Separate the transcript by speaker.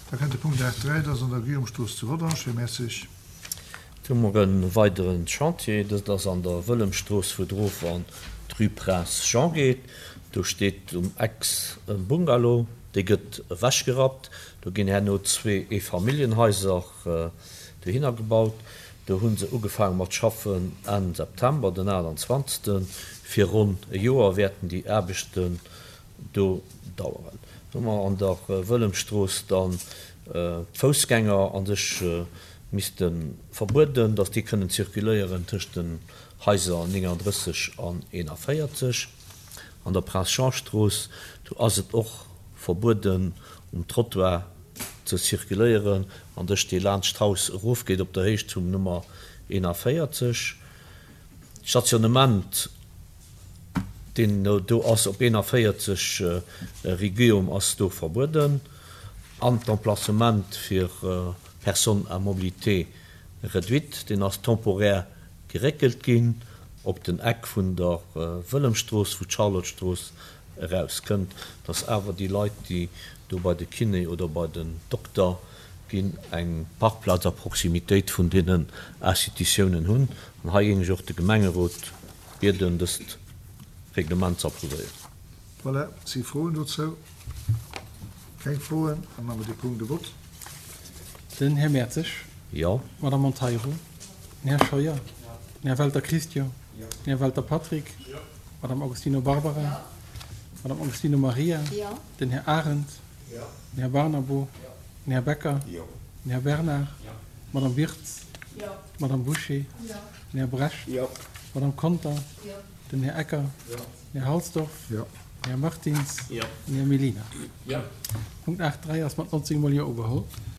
Speaker 1: Da kënnt de Punkt 8.3, dat ass an der Guillaume-Strooss zu Rodange. Här Mertzig.
Speaker 2: Do hu mer e weidere Chantier, dëst ass an der Wëllemstrooss, wou et erof an d'Rue Prince Jean geet. Do steet um Eck e Bungalow, dee gëtt ewechgerappt. Do ginn herno zwee Eefamilljenhaiser dohinner gebaut. Do hu se ugefaange mat schaffen Enn September, den 28. Fir ronn e Joer wäerten déi Aarbechten do daueren. Do hu mer an der Wëllemstrooss dann d'Foussgänger a sech misste verbueden, datt déi kënnen zirkuléieren tëscht den Haiser 39 an 41. An der Prince Jean Strooss, do ass et och verbueden um Trottoir ze zirkuléieren an dech dee laanscht d'Haus erofgeet op der Héicht vum Nummer 41. D'Stationnement. deen do ass op 41 rue Guillaume ass do verbueden an d'Emplacement fir Personnes à mobilité réduite, deen ass temporaire geréckelt ginn op den Eck vun der Wëllemstrooss, wou d'Charlottestrooss erauskënnt, dass awer déi Leit, déi do bei de Kiné oder bei den Dokter ginn, eng Parkplaz a Proximitéit vun deenen Institutiounen hunn. An hei géing ech och de Gemengerot Bieden, dëst Reglement ze approuvéieren.
Speaker 1: Voilà, si Froen dozou? Keng Froen? Da maache mer dee Punkt e Vott.
Speaker 3: Den Här Mertzig.
Speaker 2: Jo.
Speaker 3: D'Madame Monteiro. Den Här Scheuer. Den Här Welter Christian. Den Här Welter Patrick. D'Madame Agostino Barbara. D'Madame Agostino Maria. Den Här Arendt. Den Här Barnabo. Den Här Becker. Den Här Bernard. D'Madame Wirtz. D'Madame Bouché. Den Här Brecht. D'Madame Conter. Den Här Ecker. Den Här Halsdorf. Den Här Martins. Den Här Mellina. Punkt 8.3 ass mat 19 mol Jo ugeholl.